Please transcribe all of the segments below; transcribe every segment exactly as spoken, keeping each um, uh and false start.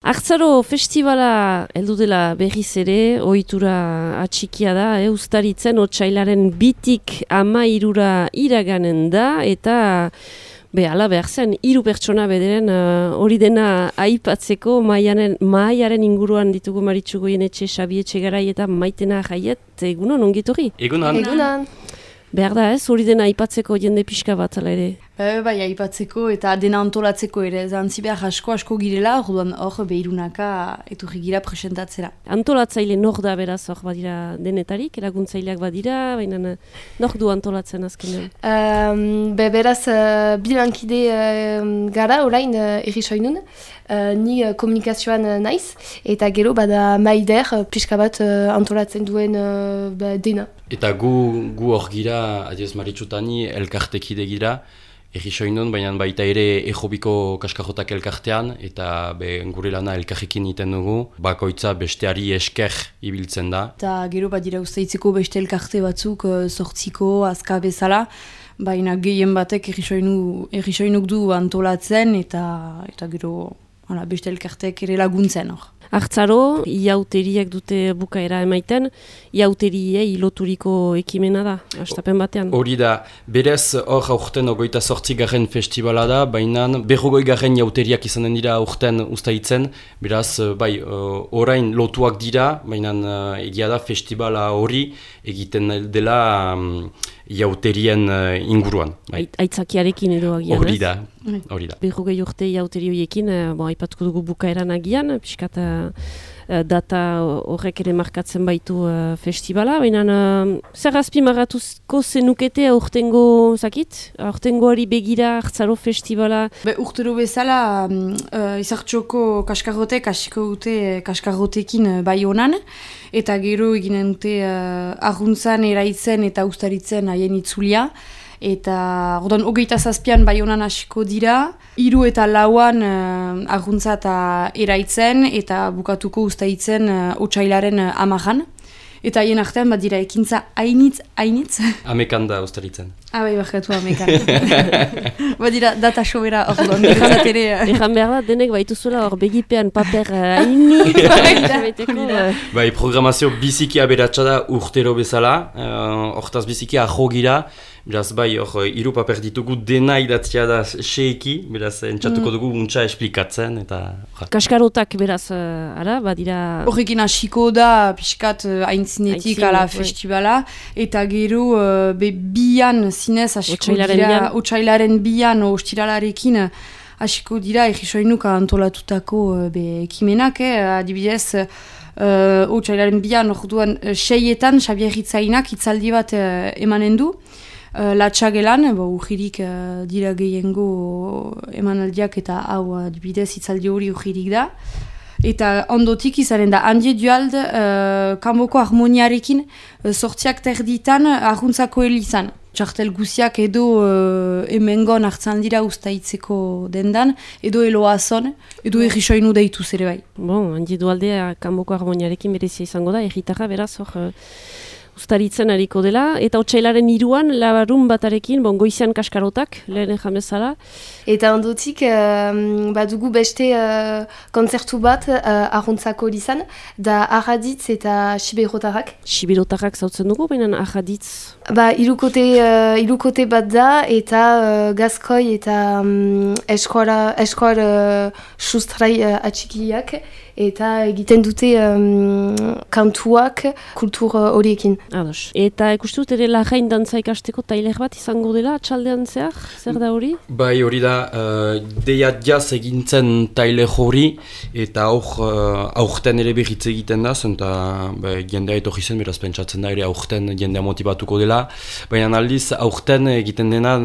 Artzaro festivala heldu dela berriz ere, ohitura atxikia da, eh, uztaritzen otsailaren bitik ama irura iraganen da, eta be, ala behar zen, hiru pertsona bederen hori uh, dena aipatzeko maiaren, maiaren inguruan ditugu Maritxu Goienetxe, Xabi Etxegarai eta Maitena Jaiet, egunon, ongitorri? Egunon. Egunon. Behar da ez, hori dena aipatzeko jende pixka bat, ala ere? E, bai, aipatzeko eta dena antolatzeko ere, zantzi behar asko asko girela, orduan hor behirunaka eturri gira presentatzera. Antolatzaile nor da beraz hor badira denetarik, eraguntzaileak badira, baina nor du antolatzen azkenean? Um, be, beraz, uh, bilankide uh, gara orain uh, errisoinun, uh, ni uh, komunikazioan uh, naiz, eta gero bada maider uh, pixka bat uh, antolatzen duen uh, ba, dena. Eta gu gu hor gira, adiez Maritxutani, elkartekide gira, errisoinun, baina baita ere ejobiko kaskarrotak elkartean, eta be, gure lana elkarrekin iten dugu, bakoitza besteari esker ibiltzen da. Eta gero bat dira usteitzeko beste elkarte batzuk, sortziko, azka bezala, baina gehien batek errisoinuk du antolatzen, eta, eta gero hala, beste elkartek ere laguntzen hor. Artzaro, iauteriak dute bukaera emaiten, iauteriei loturiko ekimena da, astapen batean. Hori da, berez hor aurten ogoita sortzi garren festivala da, baina berrogoi garren iauteriak izanen dira aurten ustaitzen, beraz, bai, orain lotuak dira, baina egia da festivala hori egiten dela um, iauterien uh, inguruan. Bai. Aitzakiarekin edo agian, hori da, hori da. Berrogei urte iauteri horiekin, bon, aipatuko dugu bukaeran agian, piskat uh, data horrek ere markatzen baitu uh, festivala, baina uh, zer azpimarratuko zenukete aurtengo, zakit? Aurtengoari begira Artzaro festivala? Be, urtero bezala, uh, izartxoko kaskarrotek hasiko dute kaskarrotekin uh, bai honan, eta gero eginen dute uh, arruntzan, eraitzen eta ustaritzen haien itzulia. Eta orduan hogeita zazpian bai honan hasiko dira, hiru eta lauan uh, arruntza eta eraitzen eta bukatuko ustaitzen uh, otsailaren uh, amajan. Eta haien artean bat dira ekintza hainitz, hainitz. Amekan da ustaritzen. Ah, bai, bakatu amekan. Bat dira data sobera orduan, berazat ere. Ejan behar da, denek baituzuela hor begipean paper hainitz. Bai, programazio biziki aberatsa da urtero bezala, hortaz uh, biziki aho gira. Beraz, bai, hor, hiru paper ditugu dena idatzia da seeki, beraz, entzatuko dugu untsa esplikatzen, eta... Kaskarotak, beraz, uh, ara, badira... Horrekin hasiko da, pixkat, haintzinetik, ala, festivala, eta gero, uh, be, bian, zinez, hasiko dira, otsailaren bian, ostiralarekin, hasiko dira, errisoinuka antolatutako, uh, be, ekimenak, eh, adibidez, uh, otsailaren bian, orduan, uh, seietan, Xabier Hitzainak, hitzaldi bat uh, emanen du, Uh, Latxagelan, urgirik uh, dira gehiengo emanaldiak eta hau adibidez hitzaldi hori urgirik da. Eta ondotik izanen da, handie duald, uh, kanboko harmoniarekin uh, sortziak terditan arruntzako helizan. Txartel guziak edo uh, emengon hartzan dira ustaitzeko dendan, edo eloazon, edo errisoinu deitu zere bai. Bon, handie dualdea kanboko harmoniarekin berezia izango da, erritarra beraz hor... Uh... Uztaritzen hariko dela, eta otsailaren hiruan labarun batarekin, bon, goizean kaskarotak, lehen jamezala. Eta ondotik, um, badugu beste uh, kontzertu bat uh, arruntzako izan, da Arraditz eta Siberotarrak. Siberotarrak zautzen dugu, baina Arraditz? Ba, irukote, uh, irukote bat da, eta uh, Gazkoi eta um, eskola, eskola uh, sustrai uh, atxikiak, eta egiten dute um, kantuak kultur horiekin. Ados. Eta ikustu dut ere Larrain dantza ikasteko tailer bat izango dela, atxaldean zehar? Zer da hori? Bai, hori da, uh, deia jaz egintzen tailer hori, eta aur, uh, aurten ere berritz egiten da, zenta ba, jendea etorri zen, beraz pentsatzen da ere aurten jendea motibatuko dela. Baina aldiz, aurten egiten dena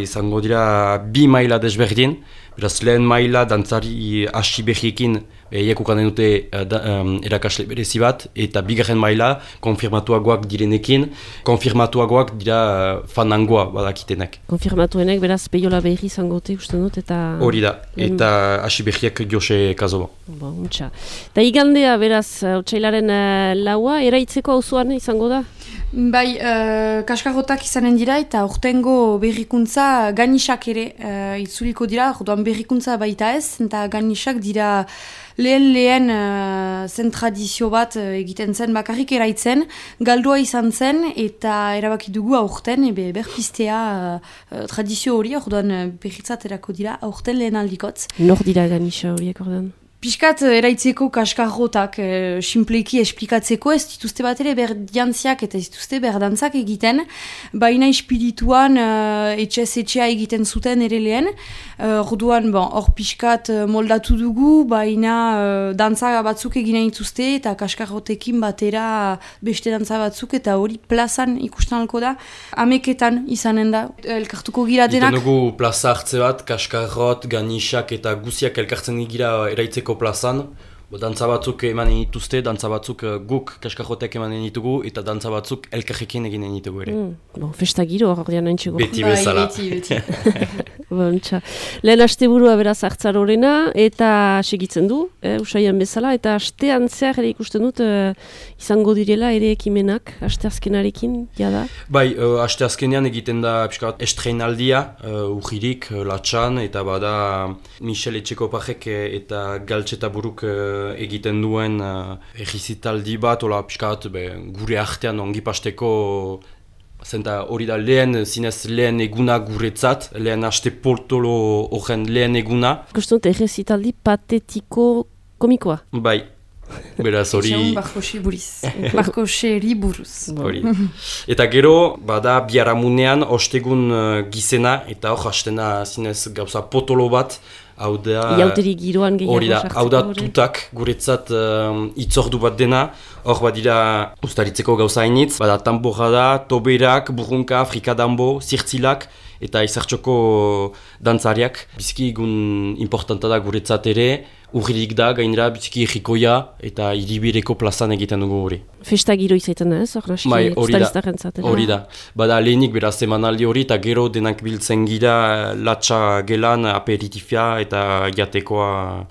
izango dira bi maila desberdin, beraz lehen maila dantzari hasi berriekin eiekukan dute um, erakasle berezi bat, eta bigarren maila konfirmatuagoak direnekin, konfirmatuagoak dira uh, fanangoa badakitenek. Konfirmatuenek, beraz, peiola berri zangote, uste dut, eta... Hori da, eta hasi berriak Jose Kazoba. Ba, untxa. Eta igandea, beraz, otsailaren uh, laua, eraitzeko auzoan izango da? Bai, uh, kaskarrotak izanen dira eta urtengo berrikuntza ganisak ere uh, itzuliko dira, orduan berrikuntza baita ez, eta ganisak dira lehen lehen uh, zen tradizio bat uh, egiten zen bakarrik eraitzen, galdua izan zen eta erabaki dugu aurten ebe berpiztea uh, tradizio hori, orduan uh, berritzat erako dira aurten lehen aldikotz. Nor dira ganixa horiek orduan? Piskat eraitzeko kaskarrotak, e, simpleki esplikatzeko, ez dituzte bat ere berdantziak eta ez dituzte berdantzak egiten, baina espirituan uh, etxez-etxea egiten zuten ere lehen. Orduan, uh, bon, hor piskat moldatu dugu, baina uh, dantza batzuk eginen dituzte eta kaskarrotekin batera beste dantza batzuk eta hori plazan ikusten alko da. Ameketan izanen da, elkartuko gira denak. Iten dugu plaza hartze bat, kaskarrot, ganisak eta guziak elkartzen gira eraitzeko plazan, dantza batzuk emanen dituzte, dantza batzuk guk kaskarrotek emanen ditugu eta dantza batzuk elkarrekin eginen ditugu ere. Mm, bon, festa giro ordean haintxego. Beti bezala. Bai, beti, beti. Bontxa. Lehen asteburua beraz hartzarorena eta segitzen du, eh, usaian bezala, eta astean zehar ere ikusten dut eh, izango direla ere ekimenak, asteazkenarekin, jada? Bai, uh, asteazkenean egiten da piskat estreinaldia, uh, urririk, uh, latxan, eta bada Michel Etxekopajek eta Galtxeta buruk uh, egiten duen uh, egizitaldi bat, ola piskat be, gure artean ongi pasteko. Zenta hori da lehen, zinez lehen eguna guretzat, lehen aste poltolo horren lehen eguna. Ikusten dut egizitaldi patetiko komikoa. Bai, beraz hori... Etxeun Barkosi buriz, Barkoseri buruz. Hori. Eta gero, bada biharamunean ostegun uh, gizena, eta hor hastena zinez gauza potolo bat, hau da... Iauteri giroan gehiago sartzeko. Hau da tutak guretzat um, itzordu bat dena, hor badira ustaritzeko gauza hainitz, bada tamborra da, toberak, burrunka, frikadambo, zirtzilak, eta izartxoko dantzariak. Biziki egun importanta da guretzat ere, urririk da, gainera biziki egikoia eta hiribireko plazan egiten dugu hori. Festa giro izaiten da ez, hor naski ustariztaren zatera. Hori da, bada lehenik beraz emanaldi hori eta gero denak biltzen gira latxa gelan aperitifia eta jatekoa,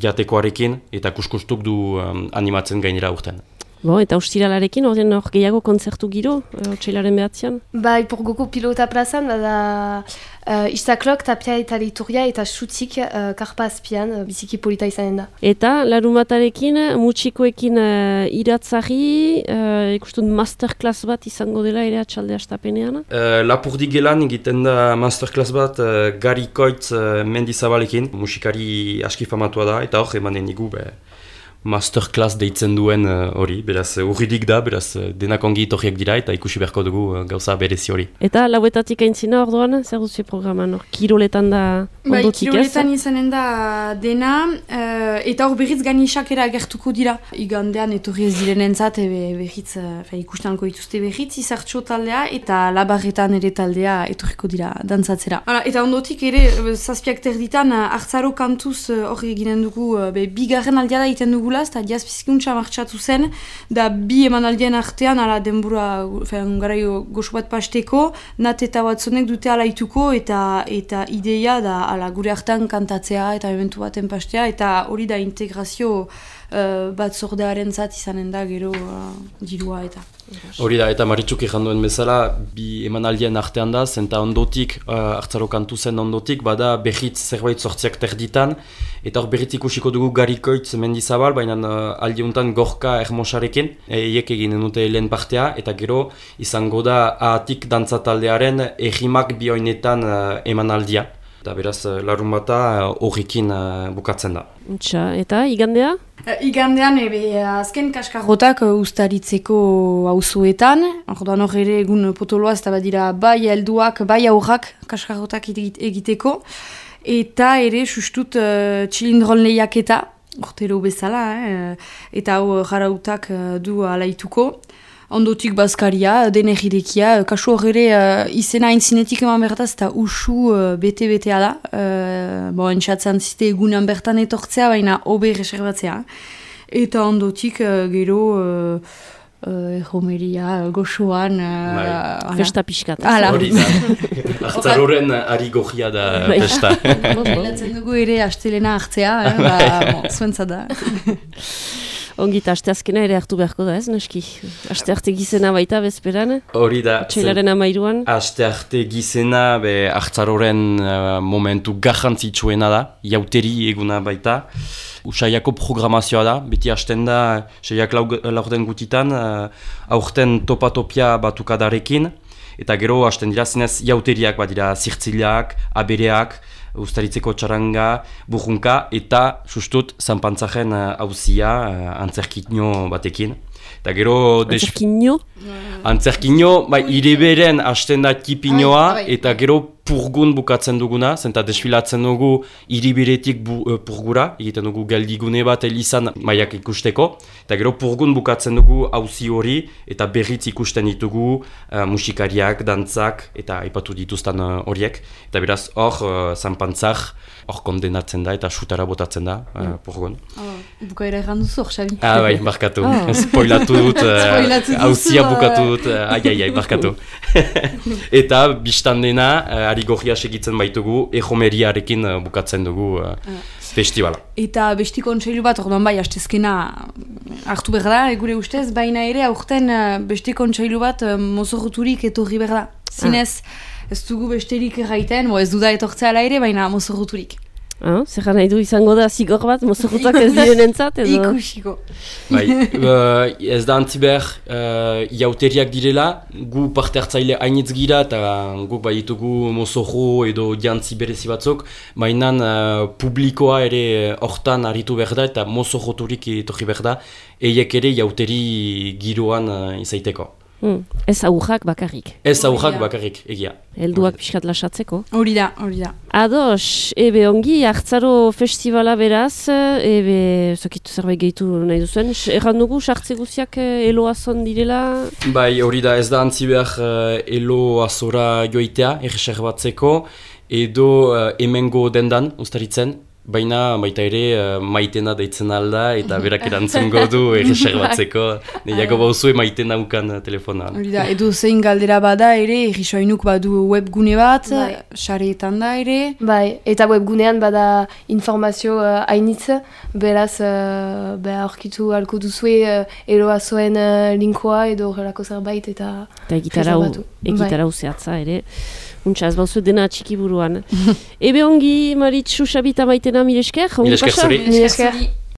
jatekoarekin eta kuskustuk du um, animatzen gainera urten. Bo, eta ustiralarekin, ordean hor gehiago kontzertu giro, otsailaren behatzean? Bai, porgoko pilota plazan, bada uh, Istaklok, Tapia eta Liturgia eta Xutik uh, karpa azpian, uh, biziki polita izanen da. Eta, larumatarekin, mutxikoekin uh, iratzari, uh, ikustun masterclass bat izango dela ere atxalde astapenean? Uh, Lapurdi gelan egiten da masterclass bat uh, Gari Koitz uh, Mendizabalekin, musikari aski famatua da, eta hor emanen igu, be, masterclass deitzen duen hori, uh, beraz urridik da, beraz denak ongi itorriak dira eta ikusi beharko dugu uh, gauza berezi hori. Eta lauetatik aintzina orduan, zer duzio programan, kiroletan da ondotik ez? Bai, kiroletan izanen da dena, uh, eta hor berriz ganisak ere agertuko dira. Igandean etorri ez direnentzat, berriz uh, ikustanko dituzte berriz, izartxo taldea eta labarretan ere taldea etorriko dira dantzatzera. Hala, eta ondotik ere, zazpiak terditan, hartzaro kantuz hor uh, eginen dugu, uh, be, bigarren aldea da iten dugu eta diaz bizikuntza martxatu zen, da bi emanaldien artean, ala denbura, garai goxo bat pasteko, nat eta batzonek dute alaituko, eta eta ideia da ala gure artean kantatzea eta eventu baten pastea, eta hori da integrazio uh, bat zordearen zat izanen da gero uh, dirua eta. Hori da, eta Maritzuk erranduen bezala, bi emanaldien artean da, zenta ondotik, uh, hartzaro kantu zen ondotik, bada berritz zerbait sortziak terditan, eta hor berritz ikusiko dugu Gari Koitz Mendizabal, baina uh, aldi honetan Gorka Ermosarekin, eiek eginen dute lehen partea, eta gero izango da ahatik dantzataldearen errimak bioinetan uh, emanaldia. Eta beraz, larun bata horrekin uh, bukatzen da. Txa, eta igandea? Uh, igandean, ebe, azken kaskarrotak uh, ustaritzeko auzoetan. Orduan hor ere egun potoloaz eta badira bai helduak, bai aurrak kaskarrotak egiteko. Eta ere, sustut, uh, txilindron lehiaketa, ortero bezala, eh? Eta hau jarautak uh, du alaituko. Ondotik bazkaria, denegirekia, kasu horre uh, izena aintzinetik eman bertaz eta usu uh, bete-betea da. Uh, bo, entxatzen zite egunan bertan etortzea, baina hobe reservatzea. Eta ondotik uh, gero uh, uh, erromeria, goxoan... Uh, festa pixkat. Hori da. Artzaroren ari goxia da festa. Bilatzen dugu ere astelena hartzea, eh? Ba, bon, zuentza da. Ongita, asteazkena ere hartu beharko da ez, naski? Astearte gizena baita bezperan? Hori da. Txailaren amairuan? Astearte gizena, be, hartzaroren uh, momentu garrantzitsuena da, jauteri eguna baita. Usaiako programazioa da, beti hasten da, seiak laurden gutitan, uh, aurten topatopia batukadarekin, eta gero hasten dira zinez jauteriak, badira zirtziliak, abereak, ustaritzeko txaranga, burrunka, eta sustut zanpantzaren hauzia uh, antzerkino batekin. Eta gero... Antzerkino? Antzerkino, bai, ireberen hasten da tipinoa, eta gero purgun bukatzen duguna, zenta desfilatzen dugu iriberetik bu, uh, purgura, egiten dugu geldigune bat elizan maiak ikusteko, eta gero purgun bukatzen dugu auzi hori, eta berriz ikusten ditugu uh, musikariak, dantzak, eta aipatu dituzten horiek, uh, eta beraz hor, uh, zanpantzak, hor kondenatzen da, eta sutara botatzen da, uh, purgun. Oh, bukaera erran duzu hor, Xabi. Ah, bai, barkatu, oh. Spoilatu dut, hauzia uh, bukatu dut, uh, ai, ai, ai, barkatu. Eta biztan dena, uh, ari gorria segitzen baitugu, ejomeriarekin uh, bukatzen dugu uh, uh. festivala. Eta besti kontseilu bat, orduan bai, hastezkena hartu behar da, gure ustez, baina ere, aurten uh, besti kontseilu bat uh, mozorroturik etorri behar da. Zinez, ah. ez dugu besterik erraiten, bo ez duda etortzea ala ere, baina mozorroturik. Ah, zer nahi du izango da zigor bat, mozorrotak ez diren entzat, edo? Ikusiko. Bai, uh, ez da antzi behar uh, jauteriak direla, gu parte hartzaile hainitz gira, eta guk bai ditugu mozorro edo jantzi berezi batzuk, baina uh, publikoa ere hortan aritu behar da, eta mozorroturik etorri behar da, eiek ere jauteri giroan uh, izaiteko. Hmm. Ez aurrak bakarrik. Ez aurrak bakarrik, egia. Helduak pixkat lasatzeko. Hori da, hori da. Ados, ebe ongi, Hartzaro festivala beraz, ebe zokitu zerbait gehitu nahi duzuen. Erran dugu, sartze guziak eloazon direla? Bai, hori da, ez da antzi behar uh, eloazora joitea, erreserbatzeko, edo uh, hemengo dendan, ustaritzen. Baina baita ere uh, maitena deitzen alda eta berak erantzungo du erreserbatzeko. Niako bauzue maitena ukan uh, telefonan. Hori da, edo zein galdera bada ere, errisoinuk badu webgune bat, sareetan da ere. Bai, eta webgunean bada informazio hainitz, uh, beraz uh, beha aurkitu halko duzue uh, eroazoen uh, linkoa edo horrelako zerbait eta reservatu. Egitara uzeatza ere. Untsa, ez bauzu dena txiki buruan. Ebe ongi, Maritxu, Xabita maitena, mire esker? Mire esker zuri. Mire esker.